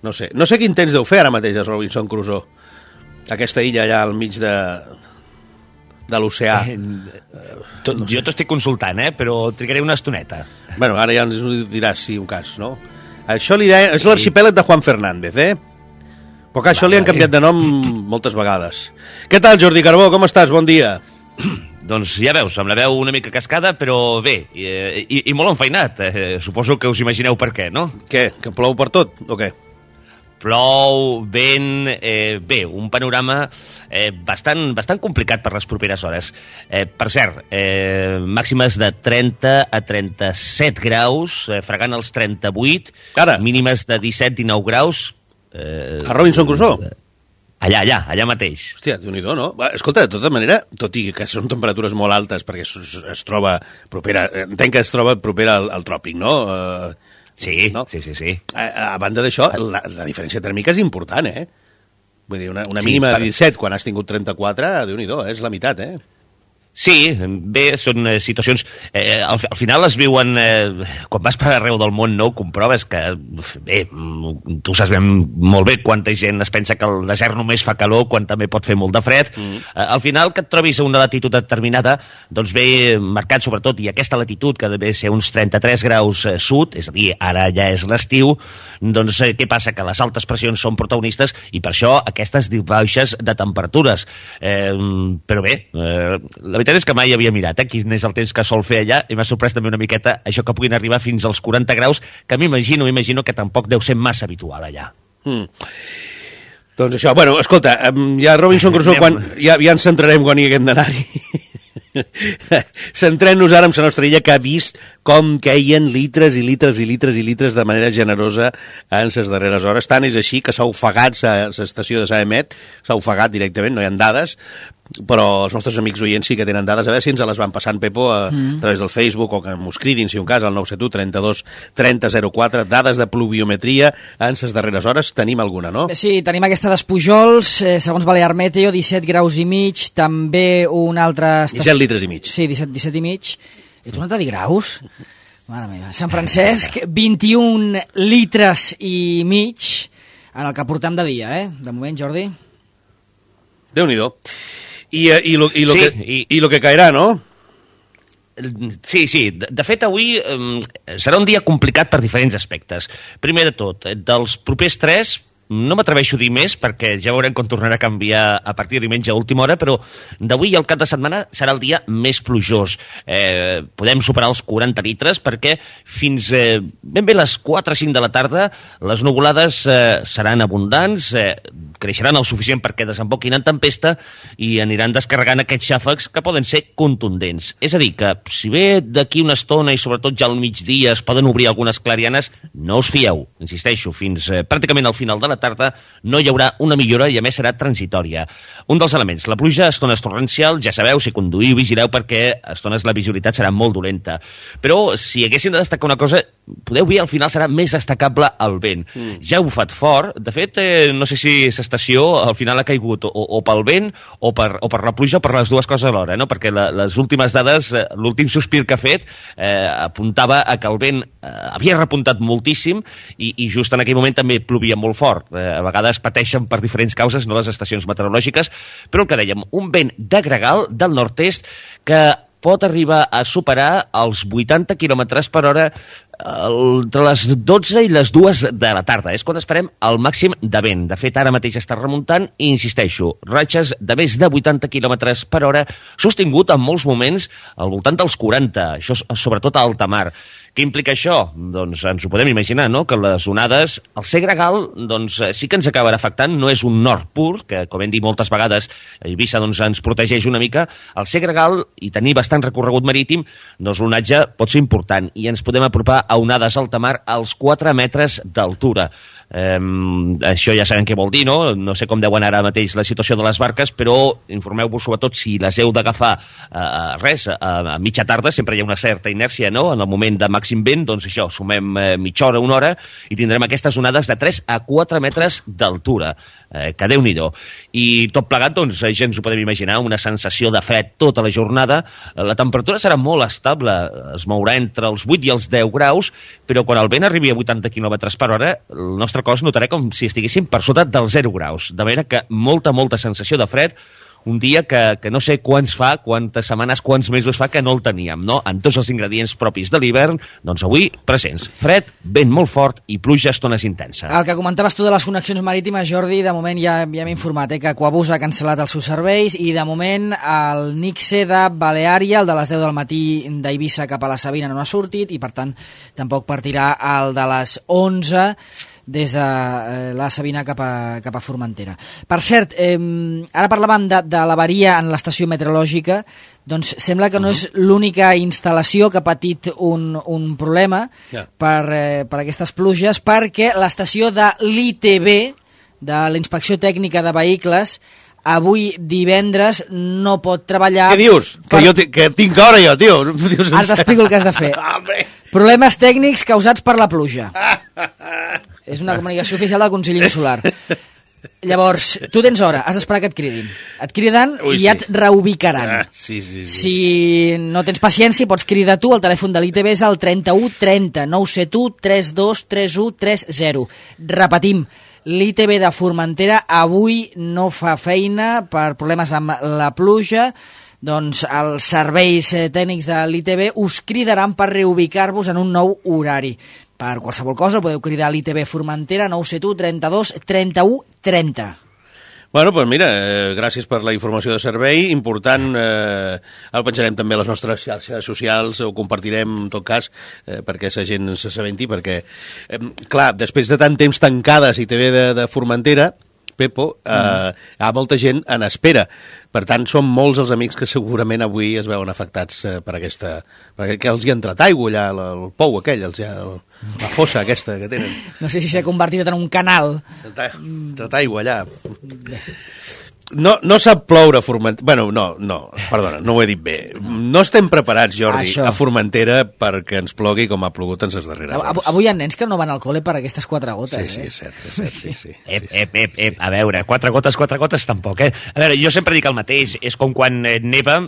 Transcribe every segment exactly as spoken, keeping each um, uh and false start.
no sé. No sé quin temps deu fer ara mateix a Robinson Crusoe. Aquesta illa allà al mig de, de l'oceà. Eh, to, no jo t'ho estic consultant, eh? Però trigaré una estoneta. Bueno, ara ja ens ho diràs, si un cas, no? Això li deia, és l'arxipèlag de Juan Fernández, eh? Però que això li han canviat de nom moltes vegades. Què tal, Jordi Carbó? Com estàs? Bon dia. Doncs ja veus, amb la veu una mica cascada, però bé, i, i, i molt enfeinat. Eh, suposo que us imagineu per què, no? Què? Que plou per tot, o què? Plou, vent, eh, bé, un panorama eh, bastant, bastant complicat per les properes hores. Eh, per cert, eh, màximes de trenta a trenta-set graus, eh, fregant els trenta-vuit, Ara. mínimes de disset a dinou graus. Eh, a Robinson Crusoe? Allà, allà, allà mateix. Hòstia, Déu-n'hi-do, no? Va, escolta, de tota manera, tot i que són temperatures molt altes, perquè es, es troba propera, entenc que es troba propera al, al tròpic, no? Uh, Sí, no? sí, sí, sí. A, a banda d'això, la, la diferència tèrmica és important, eh? Vull dir, una, una Sí, mínima per... de disset quan has tingut trenta-quatre, Déu-n'hi-do, eh? És la meitat, eh? Sí, bé, són eh, situacions... Eh, al, al final es viuen... Eh, quan vas per arreu del món, no ho comproves, que... Bé, tu saps ben, molt bé quanta gent es pensa que el desert només fa calor quan també pot fer molt de fred. Mm. Eh, al final, que et trobis a una latitud determinada, doncs ve marcat sobretot, i aquesta latitud, que deve ser uns trenta-tres graus eh, sud, és a dir, ara ja és l'estiu, doncs eh, què passa? Que les altes pressions són protagonistes i per això aquestes baixes de temperatures. Eh, però bé, eh, la veritat és que mai havia mirat eh, quin és el temps que sol fer allà i m'ha sorprès també una miqueta això que puguin arribar fins als quaranta graus, que m'imagino, m'imagino que tampoc deu ser massa habitual allà. Mm. Doncs això, bueno, escolta, ja Robinson Crusoe, quan, ja, ja ens centrarem quan hi haguem d'anar-hi. Centrem-nos ara en la nostra illa, que ha vist com queien litres i litres i litres i litres de manera generosa en les darreres hores. Tant és així que s'ha ofegat l'estació de Saemet, s'ha ofegat directament, no hi ha dades, però els nostres amics oients sí que tenen dades. A veure si ens les van passant, Pepo, a, mm. a través del Facebook, o que mos cridin, si un cas, al nou set u trenta-dos trenta zero quatre. Dades de pluviometria en les darreres hores. Tenim alguna, no? Sí, tenim aquesta d'Espujols, eh, segons Balear Meteo, disset graus i mig, també una altra estació... disset litres i mig. Sí, disset, disset i mig. He tornat a dir graus? Mare meva. Sant Francesc, vint-i-un litres i mig en el que portem de dia, eh? De moment, Jordi. Déu-n'hi-do. I, i, lo, i, lo sí, que, i... i lo que caerà, no? Sí, sí. De, de fet, avui eh, serà un dia complicat per diferents aspectes. Primer de tot, dels propers tres... No m'atreveixo a dir més perquè ja veurem com tornarà a canviar a partir de diumenge a última hora, però d'avui al cap de setmana serà el dia més plujós. Eh, podem superar els quaranta litres perquè fins eh, ben bé les quatre o cinc de la tarda les nuvolades eh, seran abundants, eh, creixeran el suficient perquè desemboquin en tempesta i aniran descarregant aquests xàfecs que poden ser contundents. És a dir, que si bé d'aquí una estona i sobretot ja al migdia es poden obrir algunes clarianes, no us fieu, insisteixo, fins eh, pràcticament al final de la tarda no hi haurà una millora i a més serà transitòria. Un dels elements, la pluja a estones torrencial, ja sabeu, si conduïu vigileu perquè a estones la visibilitat serà molt dolenta. Però si haguéssim de destacar una cosa, podeu dir al final serà més destacable el vent. Mm. Ja ha bufat fort, de fet eh, no sé si l'estació al final ha caigut o, o pel vent o per, o per la pluja o per les dues coses alhora, no? Perquè la, les últimes dades, eh, l'últim sospir que ha fet eh, apuntava a que el vent eh, havia repuntat moltíssim i, i just en aquell moment també plovia molt fort. A vegades pateixen per diferents causes, no les estacions meteorològiques, però el que dèiem, un vent de gregal del nord-est que pot arribar a superar els vuitanta quilòmetres per hora entre les dotze i les dues de la tarda. És quan esperem el màxim de vent. De fet, ara mateix està remuntant i, insisteixo, ratxes de més de vuitanta quilòmetres per hora, sostingut en molts moments al voltant dels quaranta, això sobretot a alta mar. Què implica això? Doncs ens ho podem imaginar, no? Que les onades, el ser gregal, doncs sí que ens acabarà afectant, no és un nord pur, que com hem dit moltes vegades, Eivissa doncs, ens protegeix una mica, el ser gregal i tenir bastant recorregut marítim, doncs l'onatge pot ser important i ens podem apropar a onades alta mar als quatre metres d'altura. Um, això ja sabem què vol dir, no? No sé com deu anar ara mateix la situació de les barques, però informeu-vos sobretot si les heu d'agafar uh, res, uh, a mitja tarda, sempre hi ha una certa inèrcia, no? En el moment de màxim vent, doncs això, sumem uh, mitja hora, una hora, i tindrem aquestes onades de tres a quatre metres d'altura, uh, que Déu-n'hi-do. I tot plegat, doncs, ja ens ho podem imaginar, una sensació de fred tota la jornada. La temperatura serà molt estable, es mourà entre els vuit i els deu graus, però quan el vent arribi a vuitanta quilòmetres per hora, el nostre vostre cos notarà com si estiguéssim per sota dels zero graus, de manera que molta, molta sensació de fred, un dia que, que no sé quants fa, quantes setmanes, quants mesos fa que no el teníem, no? En tots els ingredients propis de l'hivern, doncs avui presents. Fred, vent molt fort i pluja a estones intensa. El que comentaves tu de les connexions marítimes, Jordi, de moment ja, ja m'he informat, eh, que Aquabus ha cancel·lat els seus serveis i de moment el Nixe de Baleària, el de les deu del matí d'Eivissa cap a la Sabina no ha sortit i per tant tampoc partirà el de les onze des de eh, la Sabina cap a, cap a Formentera. Per cert, eh, ara parlàvem de, de l'avaria en l'estació meteorològica, doncs sembla que no és l'única instal·lació que ha patit un, un problema yeah. per, eh, per aquestes pluges, perquè l'estació de l'I T B, de la Inspecció Tècnica de Vehicles, avui divendres no pot treballar... Què dius? Per... Que, jo que tinc hora jo, tio. Ara t'explico el que has de fer. Problemes tècnics causats per la pluja. És una comunicació oficial del Consell Insular. Llavors, tu tens hora, has d'esperar que et cridin. Et criden Ui, i ja sí. et reubicaran. Ah, sí, sí, sí. Si no tens paciència, pots cridar tu. El telèfon de l'I T B és el trenta-u trenta nou set u tres dos tres u tres zero. Repetim, l'I T B de Formentera avui no fa feina per problemes amb la pluja. Doncs els serveis tècnics de l'I T B us cridaran per reubicar-vos en un nou horari. Per qualsevol cosa podeu cridar a l'I T B Formentera nou set u trenta-dos trenta-u trenta. Bueno, doncs mira, eh, gràcies per la informació de servei, important, eh, el penjarem també a les nostres xarxes socials, ho compartirem en tot cas, eh, perquè la gent s'assabenti, perquè, eh, clar, després de tant temps tancades I T B de, de Formentera, Pepo, eh, mm. hi ha molta gent en espera. Per tant, són molts els amics que segurament avui es veuen afectats eh, per aquesta... perquè els hi ha entrat aigua allà, el, el pou aquell, els ha, el, la fossa aquesta que tenen. No sé si s'ha convertit en un canal. Ha entrat aigua allà. No, no sap ploure a Formentera... Bueno, no, no, perdona, no ho he dit bé. No estem preparats, Jordi, Això. a Formentera perquè ens plogui com ha plogut en les darreres hores. Avui hi ha nens que no van al col·le per aquestes quatre gotes, sí, sí, eh? és cert, és cert, sí, sí. Ep, ep, ep, ep, a veure, quatre gotes, quatre gotes tampoc, eh? A veure, jo sempre dic el mateix, és com quan eh, neva...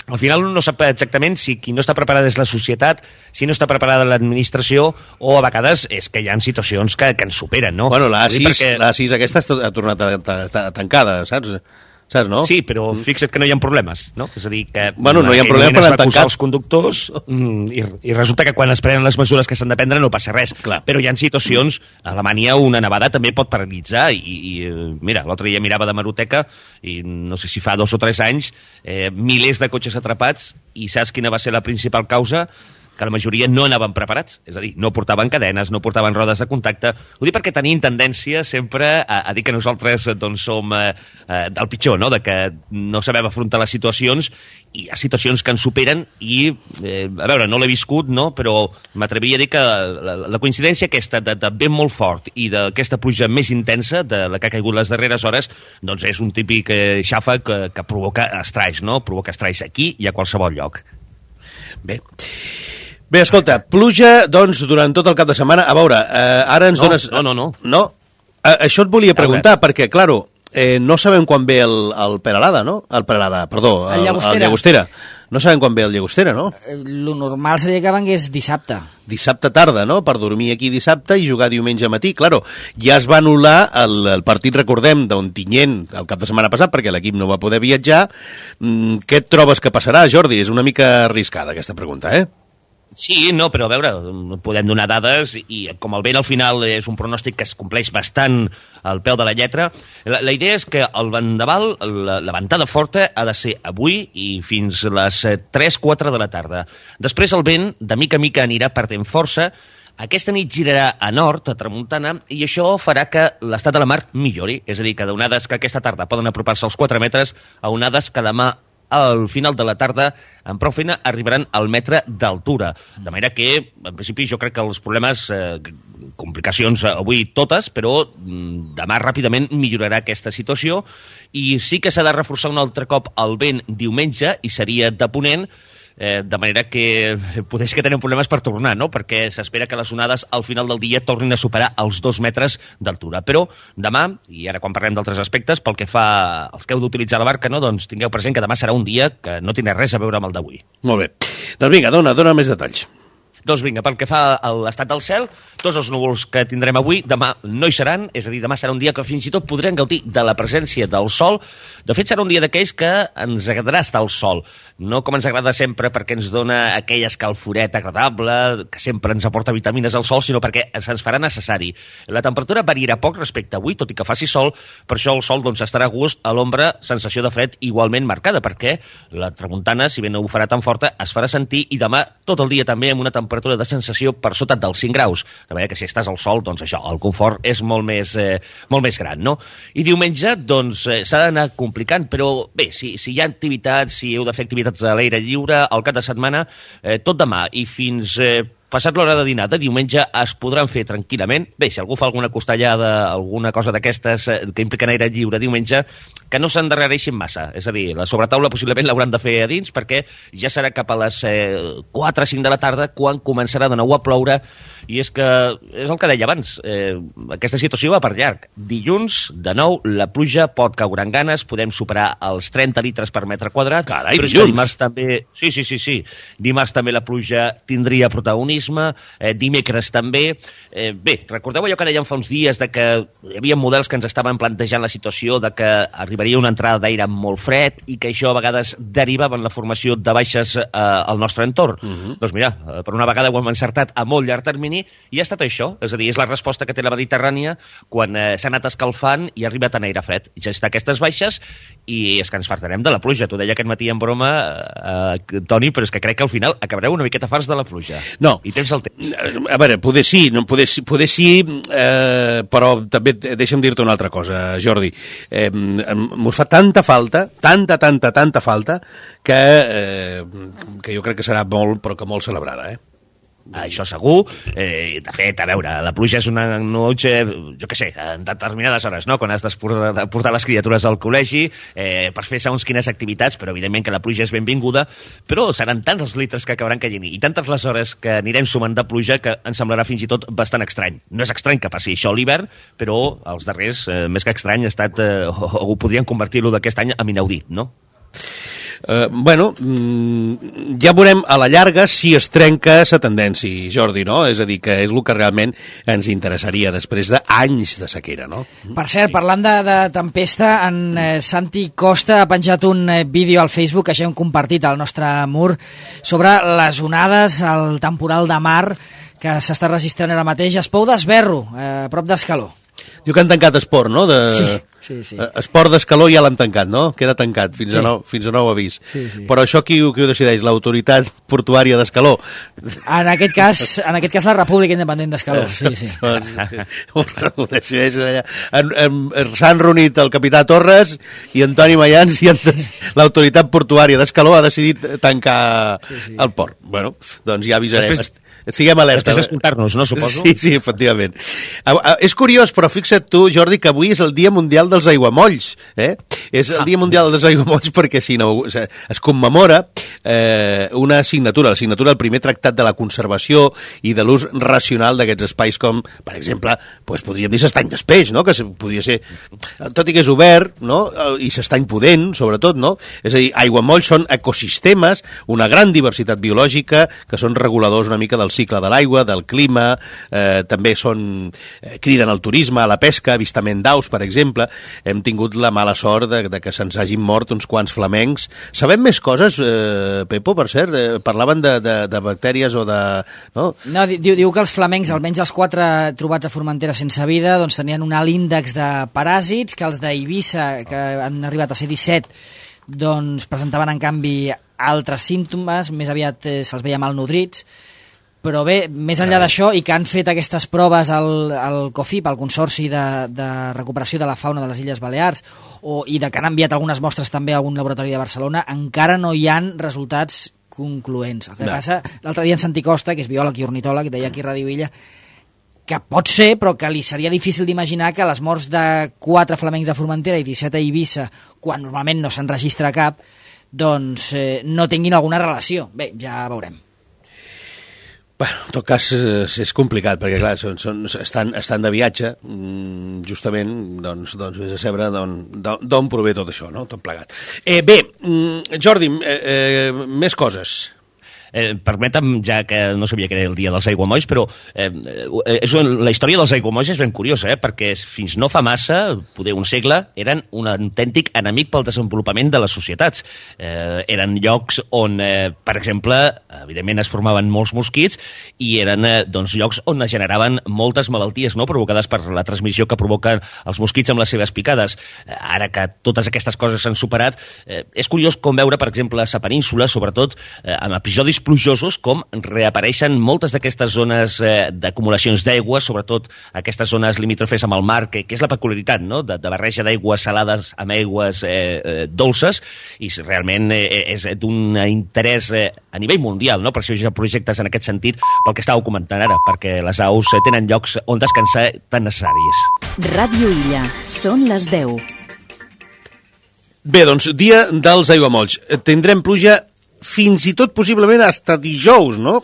Al final no sap exactament si qui no està preparada és la societat, si no està preparada l'administració, o a vegades és que hi ha situacions que, que ens superen, no? Bueno, l'A sis, perquè... l'A sis aquesta ha tornat a, a, a, a tancada, saps? Saps, no? Sí, però fixa't que no hi ha problemes, no? És a dir, que... Bueno, no hi ha problemes per tancar els conductors i, i resulta que quan es prenen les mesures que s'han de prendre no passa res. Clar. Però hi ha situacions... A Alemanya una nevada també pot paralitzar i, i mira, l'altre dia mirava de Maroteca i no sé si fa dos o tres anys eh, milers de cotxes atrapats i saps quina va ser la principal causa? Que la majoria no anaven preparats, és a dir, no portaven cadenes, no portaven rodes de contacte. Ho dic perquè tenim tendència sempre a, a dir que nosaltres doncs, som eh, eh, del pitjor, no? De que no sabem afrontar les situacions i hi ha situacions que ens superen i, eh, a veure, no l'he viscut, no? Però m'atreviria a dir que la, la coincidència aquesta de, de vent molt fort i d'aquesta pluja més intensa, de la que ha caigut les darreres hores, doncs és un típic eh, xàfec que, que provoca estralls, no? Provoca estralls aquí i a qualsevol lloc. Bé. Bé, escolta, pluja, doncs, durant tot el cap de setmana. A veure, eh, ara ens no, dones... No, no, no. No? Eh, això et volia preguntar, perquè, claro, eh, no sabem quan ve el, el Peralada, no? El Peralada, perdó, el, el, Llagostera. el Llagostera. No sabem quan ve el Llagostera, no? Lo normal seria que vengués dissabte. Dissabte tarda, no? Per dormir aquí dissabte i jugar diumenge matí. Claro, ja es va anul·lar el, el partit, recordem, d'Ontinyent el cap de setmana passat, perquè l'equip no va poder viatjar. Mm, què et trobes que passarà, Jordi? És una mica arriscada, aquesta pregunta, eh? Sí, no, però a veure, podem donar dades i com el vent al final és un pronòstic que es compleix bastant al peu de la lletra, la, la idea és que el vendaval, la, la ventada forta ha de ser avui i fins les tres quatre de la tarda. Després el vent de mica a mica anirà perdent força, aquesta nit girarà a nord, a tramuntana, i això farà que l'estat de la mar millori, és a dir, que d'onades que aquesta tarda poden apropar-se als quatre metres a onades que demà al final de la tarda, amb prou feina, arribaran al metre d'altura. De manera que, en principi, jo crec que els problemes, eh, complicacions avui totes, però demà ràpidament millorarà aquesta situació i sí que s'ha de reforçar un altre cop el vent diumenge i seria de ponent, eh, de manera que potser que tenen problemes per tornar, no? Perquè s'espera que les onades al final del dia tornin a superar els dos metres d'altura. Però demà, i ara quan parlem d'altres aspectes, pel que fa als que heu d'utilitzar la barca, no? Doncs tingueu present que demà serà un dia que no tindrà res a veure amb el d'avui. Molt bé. Doncs vinga, dona, dona més detalls. Doncs vinga, pel que fa a l'estat del cel, tots els núvols que tindrem avui, demà no hi seran, és a dir, demà serà un dia que fins i tot podrem gaudir de la presència del sol. De fet, serà un dia d'aquells que ens agradarà estar al sol, no com ens agrada sempre perquè ens dona aquell escalforet agradable, que sempre ens aporta vitamines al sol, sinó perquè se'ns farà necessari. La temperatura variarà poc respecte a avui, tot i que faci sol, per això el sol doncs, estarà a gust, a l'ombra, sensació de fred igualment marcada, perquè la tramuntana, si bé no ho farà tan forta, es farà sentir i demà tot el dia també amb una temperatura de sensació per sota dels cinc graus, de manera que si estàs al sol, doncs això, el confort és molt més, eh, molt més gran, no? I diumenge, doncs, eh, s'ha d'anar complicant, però bé, si, si hi ha activitats, si heu de fer activitats a l'aire lliure, al cap de setmana, eh, tot demà i fins... Eh, passat l'hora de dinar de diumenge es podran fer tranquil·lament. Bé, si algú fa alguna costellada, alguna cosa d'aquestes eh, que impliquen aire lliure diumenge, que no s'endarrereixin massa. És a dir, la sobretaula possiblement l'hauran de fer a dins perquè ja serà cap a les eh, quatre o cinc de la tarda quan començarà de nou a ploure. I és que, és el que deia abans, eh, aquesta situació va per llarg. Dilluns, de nou, la pluja pot caure en ganes, podem superar els trenta litres per metre quadrat. Carai, però dilluns! Dimarts també... Sí, sí, sí, sí. Dimarts també la pluja tindria protagonisme, eh, dimecres també. Eh, bé, recordeu allò que dèiem fa uns dies de que hi havia models que ens estaven plantejant la situació de que arribaria una entrada d'aire molt fred i que això a vegades derivava en la formació de baixes eh, al nostre entorn. Uh -huh. Doncs mira, eh, per una vegada ho hem encertat a molt llarg termini i ha estat això, és a dir, és la resposta que té la Mediterrània quan eh, s'ha anat escalfant i ha arribat a aire fred. Ja està aquestes baixes i és que ens fartarem de la pluja. T'ho deia aquest matí en broma, eh, Toni, però és que crec que al final acabareu una miqueta farts de la pluja. No. I tens el temps. A veure, poder sí, no, poder, poder sí, eh, però també deixa'm dir-te una altra cosa, Jordi. Eh, mos fa tanta falta, tanta, tanta, tanta falta, que, eh, que jo crec que serà molt, però que molt celebrada, eh? Això segur. Eh, de fet, a veure, la pluja és una noche, jo què sé, en determinades hores, no?, quan has de portar les criatures al col·legi eh, per fer segons quines activitats, però evidentment que la pluja és benvinguda, però seran tants els litres que acabaran caient i tantes les hores que anirem sumant de pluja que ens semblarà fins i tot bastant estrany. No és estrany que passi això a l'hivern, però els darrers, eh, més que estrany, ha estat, eh, o, o podrien convertir-lo d'aquest any en inaudit, no? Uh, bueno, mm, ja veurem a la llarga si es trenca la tendència, Jordi, no? És a dir, que és el que realment ens interessaria després d'anys de sequera, no? Per cert, parlant de, de tempesta, en eh, Santi Costa ha penjat un eh, vídeo al Facebook que ja hem compartit al nostre mur sobre les onades, el temporal de mar que s'està registrant ara mateix a Espou d'Esberro, eh, a prop d'Escaló. Diu que han tancat esport, no? De... Sí, sí, sí. Esport d'Escaló ja l'han tancat, no? Queda tancat fins, sí. a, nou, fins a nou avís. Sí, sí. Però això qui, qui ho decideix? L'autoritat portuària d'Escaló? En aquest cas, en aquest cas la República Independent d'Escaló, sí, sí. Ho decideix allà. S'han reunit el capità Torres i Antoni Mayans i l'autoritat portuària d'Escaló ha decidit tancar sí, sí. el port. Bueno, doncs ja avisarem. Després... Estiguem alerta. Després d'escoltar-nos, no, suposo? Sí, sí, efectivament. És curiós, però fixa't tu, Jordi, que avui és el Dia Mundial dels Aiguamolls. Eh? És el ah. Dia Mundial dels Aiguamolls perquè si no, es commemora eh, una assignatura, la signatura del primer tractat de la conservació i de l'ús racional d'aquests espais com, per exemple, pues, podríem dir s'estany d'espeix, no? Que podria ser, tot i que és obert, no? I s'estany pudent, sobretot, no? És a dir, aiguamolls són ecosistemes, una gran diversitat biològica, que són reguladors una mica del cicle de l'aigua, del clima, eh, també són, eh, criden al turisme, a la pesca, avistament d'aus, per exemple. Hem tingut la mala sort de, de que se'ns hagin mort uns quants flamencs. Sabem més coses, eh, Pepo, per cert? Eh, parlaven de, de, de bactèries o de... No, no diu, diu que els flamencs, almenys els quatre trobats a Formentera sense vida, doncs tenien un alt índex de paràsits, que els d'Eivissa, que han arribat a ser disset, doncs presentaven en canvi altres símptomes, més aviat eh, se'ls veia malnodrits. Però bé, més enllà d'això, i que han fet aquestes proves al, al COFIP, al Consorci de, de Recuperació de la Fauna de les Illes Balears, o, i de que han enviat algunes mostres també a algun laboratori de Barcelona, encara no hi han resultats concloents. El que no. passa, l'altre dia en Santi Costa, que és biòleg i ornitòleg, deia aquí a Ràdio Illa, que pot ser, però que li seria difícil d'imaginar que les morts de quatre flamencs a Formentera i disset a Eivissa, quan normalment no se'n registra cap, doncs eh, no tinguin alguna relació. Bé, ja veurem. Bueno, en tot cas és complicat perquè clar, són, són, estan, estan de viatge justament, doncs, doncs vés a saber d'on prové tot això, no? Tot plegat. Eh, bé, Jordi, eh, eh, més coses. eh, permetem, ja que no sabia que era el dia dels aiguamolls, però eh, és un, la història dels aiguamolls és ben curiosa, eh, perquè fins no fa massa, poder un segle, eren un autèntic enemic pel desenvolupament de les societats. Eh, eren llocs on, eh, per exemple, evidentment es formaven molts mosquits i eren eh, doncs, llocs on es generaven moltes malalties, no?, provocades per la transmissió que provoquen els mosquits amb les seves picades. Eh, ara que totes aquestes coses s'han superat, eh, és curiós com veure, per exemple, a la península, sobretot eh, amb episodis plujosos, com reapareixen moltes d'aquestes zones eh, d'acumulacions d'aigua, sobretot aquestes zones limítrofes amb el mar, que, que és la peculiaritat, no?, de, de barreja d'aigües salades amb aigües eh, eh, dolces, i realment eh, és d'un interès eh, a nivell mundial, no?, per això hi ha projectes en aquest sentit, pel que estàveu comentant ara, perquè les aus eh, tenen llocs on descansar tan necessaris. Ràdio Illa, són les deu. Bé, doncs, dia dels aiguamolls. Tindrem pluja fins i tot possiblement hasta dijous, no?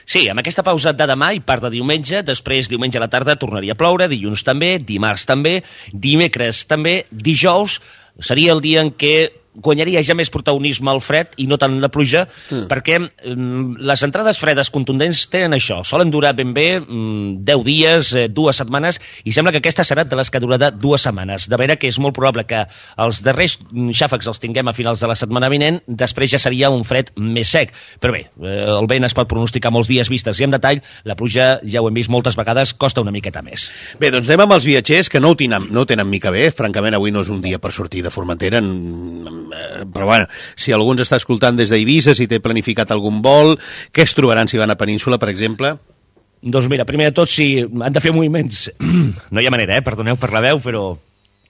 Sí, amb aquesta pausa de demà i part de diumenge, després diumenge a la tarda tornaria a ploure, dilluns també, dimarts també, dimecres també, dijous seria el dia en què guanyaria ja més protagonisme el fred i no tant la pluja, mm. perquè mm, les entrades fredes contundents tenen això, solen durar ben bé mm, deu dies, eh, dues setmanes, i sembla que aquesta serà de les que durarà dues setmanes, de manera que és molt probable que els darrers xàfecs els tinguem a finals de la setmana vinent, després ja seria un fred més sec, però bé, eh, el vent es pot pronosticar molts dies vistes i en detall, la pluja, ja ho hem vist moltes vegades, costa una miqueta més. Bé, doncs anem amb els viatgers, que no ho tenen, no ho tenen mica bé, francament avui no és un dia per sortir de Formentera, en però bueno, si algú ens està escoltant des d'Eivissa, si té planificat algun vol, què es trobaran si van a Península, per exemple? Doncs mira, primer de tot, si han de fer moviments, no hi ha manera, eh? Perdoneu per la veu, però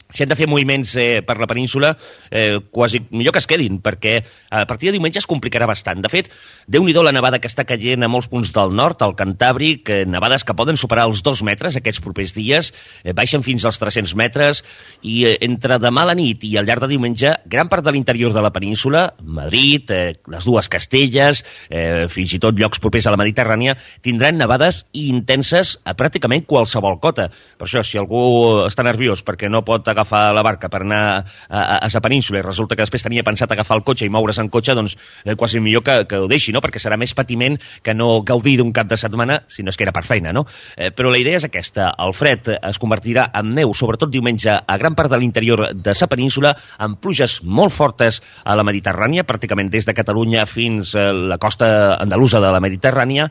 si han de fer moviments eh, per la península, eh, quasi millor que es quedin, perquè a partir de diumenge es complicarà bastant. De fet, déu-n'hi-do la nevada que està caient a molts punts del nord, al Cantàbric, eh, nevades que poden superar els dos metres aquests propers dies, eh, baixen fins als tres-cents metres, i eh, entre demà a la nit i al llarg de diumenge, gran part de l'interior de la península, Madrid, eh, les dues Castelles, eh, fins i tot llocs propers a la Mediterrània, tindran nevades intenses a pràcticament qualsevol cota. Per això, si algú està nerviós perquè no pot agafar la barca per anar a, a, a la península i resulta que després tenia pensat agafar el cotxe i moure's en cotxe, doncs eh, quasi millor que, que ho deixi, no? Perquè serà més patiment que no gaudir d'un cap de setmana, si no és que era per feina, no? Eh, però la idea és aquesta, el fred es convertirà en neu, sobretot diumenge, a gran part de l'interior de la península, amb pluges molt fortes a la Mediterrània, pràcticament des de Catalunya fins a la costa andalusa de la Mediterrània,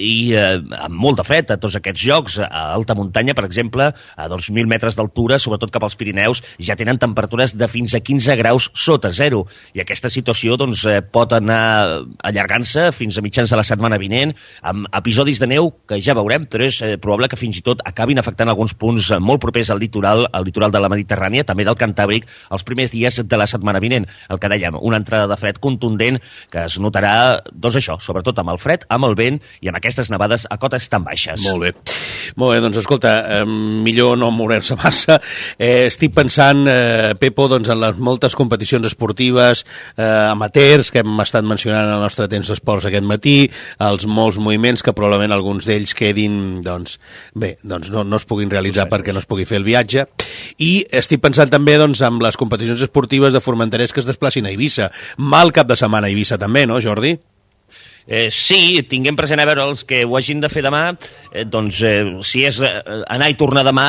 i eh, amb molt de fred a tots aquests llocs, a alta muntanya, per exemple, a dos mil metres d'altura, sobretot cap als Pirineus, ja tenen temperatures de fins a quinze graus sota zero, i aquesta situació doncs, eh, pot anar allargant-se fins a mitjans de la setmana vinent, amb episodis de neu que ja veurem, però és eh, probable que fins i tot acabin afectant alguns punts molt propers al litoral, al litoral de la Mediterrània, també del Cantàbric, els primers dies de la setmana vinent. El que dèiem, una entrada de fred contundent que es notarà, doncs això, sobretot amb el fred, amb el vent i amb aquestes nevades a cotes tan baixes. Molt bé. Molt bé, doncs escolta, eh, millor no moure-se massa. Eh, estic pensant, eh, Pepo, doncs, en les moltes competicions esportives eh, amateurs que hem estat mencionant en el nostre temps d'esports aquest matí, els molts moviments que probablement alguns d'ells quedin, doncs, bé, doncs no, no es puguin realitzar perquè no es pugui fer el viatge. I estic pensant també, doncs, en les competicions esportives de formenterers que es desplacin a Eivissa. Mal cap de setmana a Eivissa també, no, Jordi? Eh, sí, tinguem present a veure els que ho hagin de fer demà, eh, doncs eh, si és eh, anar i tornar demà,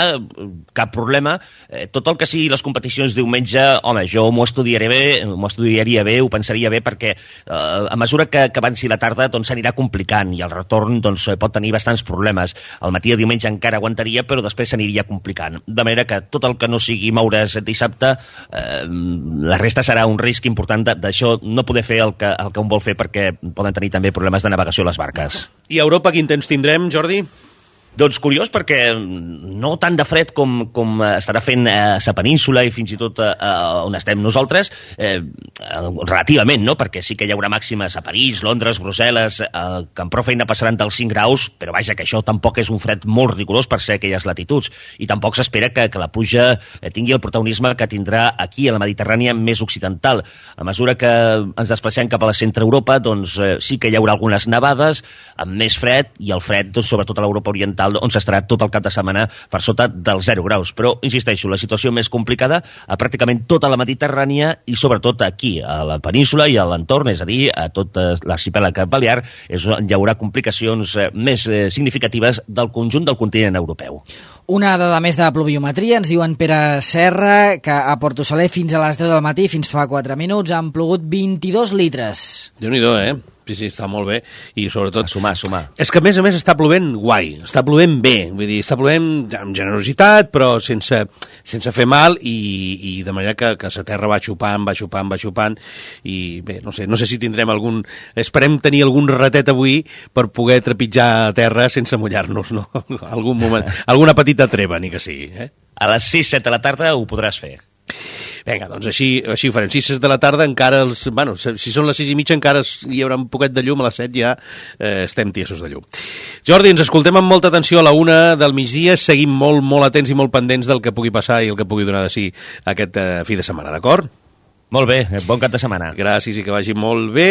cap problema. Eh, tot el que sigui les competicions diumenge, home, jo m'ho estudiaré bé, m'ho estudiaria bé, ho pensaria bé, perquè eh, a mesura que, que avanci la tarda doncs s'anirà complicant i el retorn doncs, pot tenir bastants problemes. El matí de diumenge encara aguantaria, però després s'aniria complicant. De manera que tot el que no sigui moure's dissabte, eh, la resta serà un risc important d'això no poder fer el que, el que un vol fer, perquè poden tenir també problemes de navegació a les barques. I a Europa quin temps tindrem, Jordi? Doncs curiós, perquè no tant de fred com, com estarà fent a la península i fins i tot a, a on estem nosaltres, eh, relativament, no? Perquè sí que hi haurà màximes a París, Londres, Brussel·les, eh, que amb prou feina passaran dels cinc graus, però vaja, que això tampoc és un fred molt rigorós per ser aquelles latituds, i tampoc s'espera que, que la pluja tingui el protagonisme que tindrà aquí a la Mediterrània més occidental. A mesura que ens desplacem cap a la centre Europa, doncs eh, sí que hi haurà algunes nevades amb més fred, i el fred, doncs, sobretot a l'Europa oriental, continental, on s'estarà tot el cap de setmana per sota dels zero graus. Però, insisteixo, la situació més complicada a pràcticament tota la Mediterrània i sobretot aquí, a la península i a l'entorn, és a dir, a tot l'arxipèlag balear, és on hi haurà complicacions més significatives del conjunt del continent europeu. Una dada més de pluviometria, ens diuen Pere Serra, que a Porto Saler fins a les deu del matí, fins fa quatre minuts, han plogut vint-i-dos litres. Déu-n'hi-do, eh? Sí, sí, està molt bé, i sobretot... A sumar, a sumar. És que, a més a més, està plovent guai, està plovent bé, vull dir, està plovent amb generositat, però sense, sense fer mal, i, i de manera que, que la terra va xupant, va xupant, va xupant, i bé, no sé, no sé si tindrem algun... Esperem tenir algun ratet avui per poder trepitjar terra sense mullar-nos, no? Algun moment, alguna petita treva, ni que sigui, eh? A les sis set de la tarda ho podràs fer. Vinga, doncs així, així ho farem. sis de la tarda encara, els, bueno, si són les sis i mitja encara hi haurà un poquet de llum, a les set ja eh, estem tiesos de llum. Jordi, ens escoltem amb molta atenció a la una del migdia, seguim molt, molt atents i molt pendents del que pugui passar i el que pugui donar de si aquest eh, fi de setmana, d'acord? Molt bé, bon cap de setmana. Gràcies i que vagi molt bé.